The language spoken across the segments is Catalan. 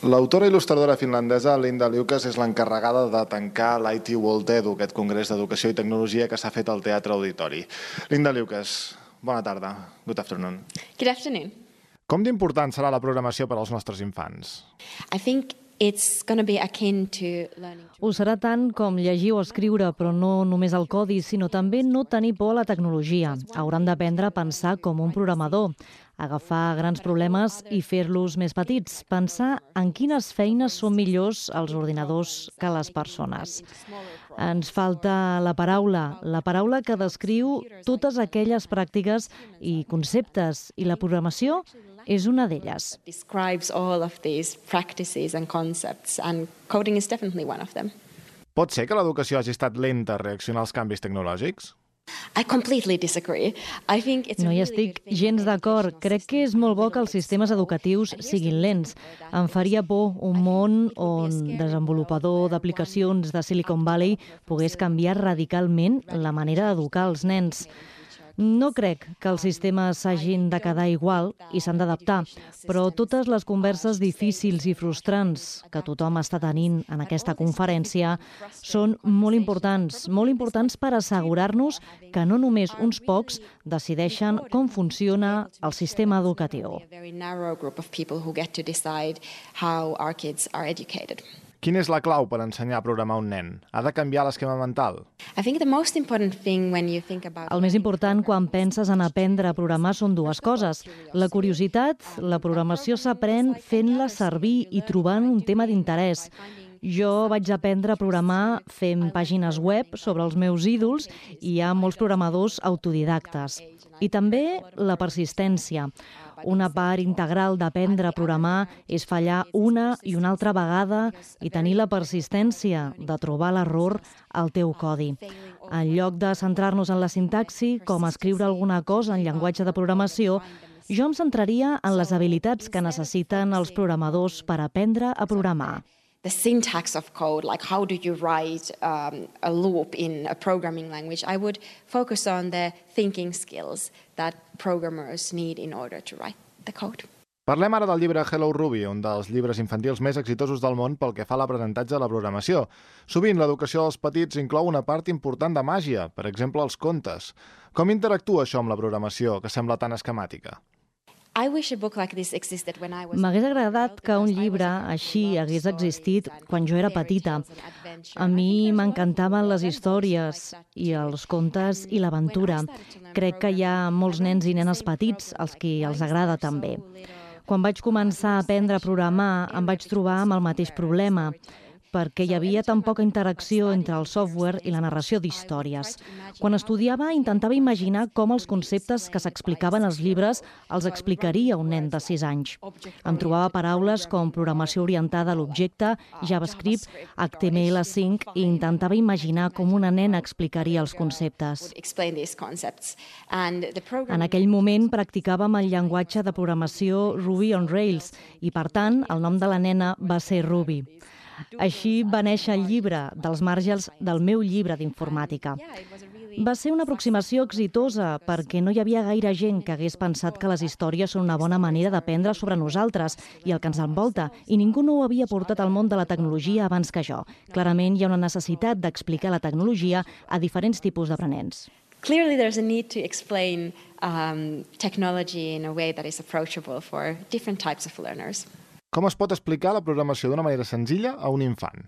L'autora i il·lustradora finlandesa Linda Liukas és l'encarregada de tancar l'IT World Edu, aquest congrés d'educació i tecnologia que s'ha fet al Teatre Auditori. Linda Liukas, bona tarda. Good afternoon. Good afternoon. Com d'important serà la programació per als nostres infants? I think it's going to be akin to learning. Ho serà tant com llegir o escriure, però no només el codi, sinó també no tenir por a la tecnologia. Hauran d'aprendre a pensar com un programador, agafar grans problemes i fer-los més petits, pensar en quines feines són millors els ordinadors que les persones. Ens falta la paraula que descriu totes aquelles pràctiques i conceptes, i la programació és una d'elles. Describes all of these practices and concepts, and coding is definitely one of them. Pot ser que l'educació hagi estat lenta a reaccionar als canvis tecnològics? I completely disagree. I think it's No hi estic gens d'acord. Crec que és molt bo que els sistemes educatius siguin lents. Em faria por un món on desenvolupador d'aplicacions de Silicon Valley pogués canviar radicalment la manera d'educar els nens. No crec que els sistemes s'hagin de quedar igual i s'han d'adaptar, però totes les converses difícils i frustrants que tothom està tenint en aquesta conferència són molt importants per assegurar-nos que no només uns pocs decideixen com funciona el sistema educatiu. Quina és la clau per ensenyar a programar un nen? Ha de canviar l'esquema mental? El més important quan penses en aprendre a programar són dues coses. La curiositat, la programació s'aprèn fent-la servir i trobant un tema d'interès. Jo vaig aprendre a programar fent pàgines web sobre els meus ídols i hi ha molts programadors autodidactes. I també la persistència. Una part integral d'aprendre a programar és fallar una i una altra vegada i tenir la persistència de trobar l'error al teu codi. En lloc de centrar-nos en la sintaxi, com escriure alguna cosa en llenguatge de programació, jo em centraria en les habilitats que necessiten els programadors per aprendre a programar. The syntax of code, like how do you write a loop in a programming language, I would focus on the thinking skills that programmers need in order to write the code. Parlem ara del llibre Hello Ruby, un dels llibres infantils més exitosos del món pel que fa a l'aprenentatge de la programació. Sovint l'educació dels petits inclou una part important de màgia, per exemple els contes. Com interactua això amb la programació, que sembla tan esquemàtica? M'hagués agradat que un llibre així hagués existit quan jo era petita. A mi m'encantaven les històries i els contes i l'aventura. Crec que hi ha molts nens i nenes petits als qui els agrada també. Quan vaig començar a aprendre a programar em vaig trobar amb el mateix problema, perquè hi havia tan poca interacció entre el software i la narració d'històries. Quan estudiava, intentava imaginar com els conceptes que s'explicaven als llibres els explicaria un nen de 6 anys. Em trobava paraules com programació orientada a l'objecte, JavaScript, HTML5 i intentava imaginar com una nena explicaria els conceptes. En aquell moment practicava amb el llenguatge de programació Ruby on Rails i, per tant, el nom de la nena va ser Ruby. Així va néixer el llibre, dels marges del meu llibre d'informàtica. Va ser una aproximació exitosa perquè no hi havia gaire gent que hagués pensat que les històries són una bona manera d'aprendre sobre nosaltres i el que ens envolta, i ningú no ho havia portat al món de la tecnologia abans que jo. Clarament hi ha una necessitat d'explicar la tecnologia a diferents tipus d'aprenents. Clearly there's a need to explain technology in a way that is approachable for different types of learners. Com es pot explicar la programació d'una manera senzilla a un infant?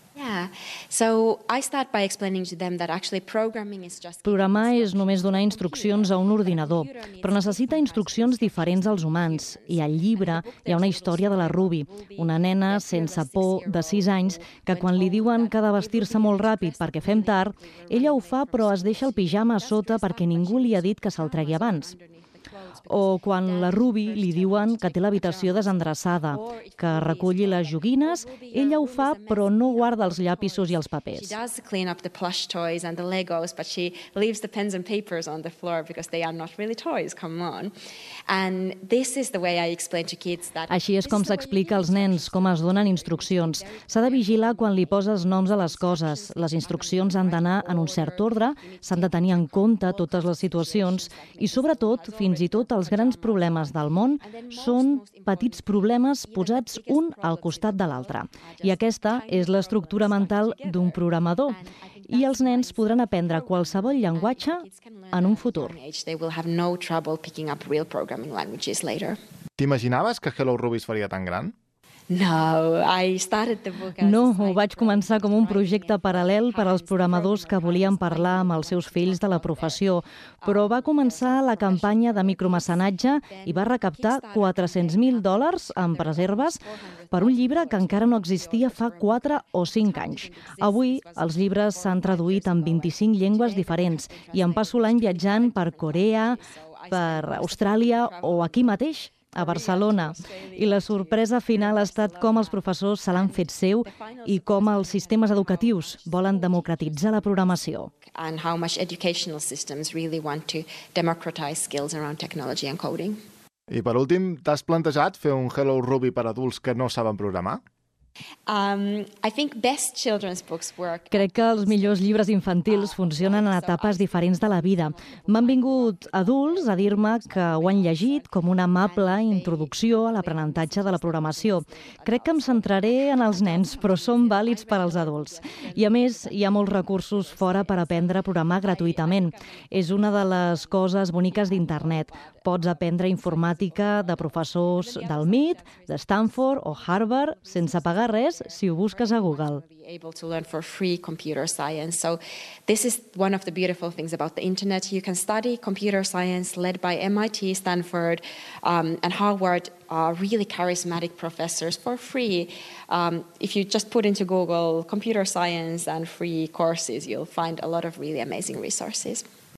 Programar és només donar instruccions a un ordinador, però necessita instruccions diferents als humans. I al llibre hi ha una història de la Ruby, una nena sense por de 6 anys que quan li diuen que ha de vestir-se molt ràpid perquè fem tard, ella ho fa però es deixa el pijama a sota perquè ningú li ha dit que se'l tregui abans. O quan la Ruby li diuen que té l'habitació desendreçada, que reculli les joguines, ella ho fa però no guarda els llapisos i els papers. Així és com s'explica als nens, com es donen instruccions. S'ha de vigilar quan li poses noms a les coses. Les instruccions han d'anar en un cert ordre, s'han de tenir en compte totes les situacions i, sobretot, fins i tot tot, els grans problemes del món són petits problemes posats un al costat de l'altre. I aquesta és l'estructura mental d'un programador. I els nens podran aprendre qualsevol llenguatge en un futur. T'imaginaves que Hello Ruby es faria tan gran? No, ho vaig començar com un projecte paral·lel per als programadors que volien parlar amb els seus fills de la professió, però va començar la campanya de micromecenatge i va recaptar $400,000 en reserves per un llibre que encara no existia fa 4 o 5 anys. Avui, els llibres s'han traduït en 25 llengües diferents i em passo l'any viatjant per Corea, per Austràlia o aquí mateix, a Barcelona. I la sorpresa final ha estat com els professors se l'han fet seu i com els sistemes educatius volen democratitzar la programació. And how much educational systems really want to democratize skills around technology and coding. I per últim, t'has plantejat fer un Hello Ruby per adults que no saben programar? Crec que els millors llibres infantils funcionen en etapes diferents de la vida. M'han vingut adults a dir-me que ho han llegit com una amable introducció a l'aprenentatge de la programació. Crec que em centraré en els nens, però són vàlids per als adults. I a més, hi ha molts recursos fora per aprendre a programar gratuïtament. És una de les coses boniques d'internet. Pots aprendre informàtica de professors del MIT, de Stanford o Harvard sense pagar res si ho busques a Google. Able to learn for free computer science. So this is one of the beautiful things about the internet. You can study computer science led by MIT, Stanford, and Harvard, really charismatic professors for free. If you just put into Google computer science and free courses, you'll find a lot of really amazing resources.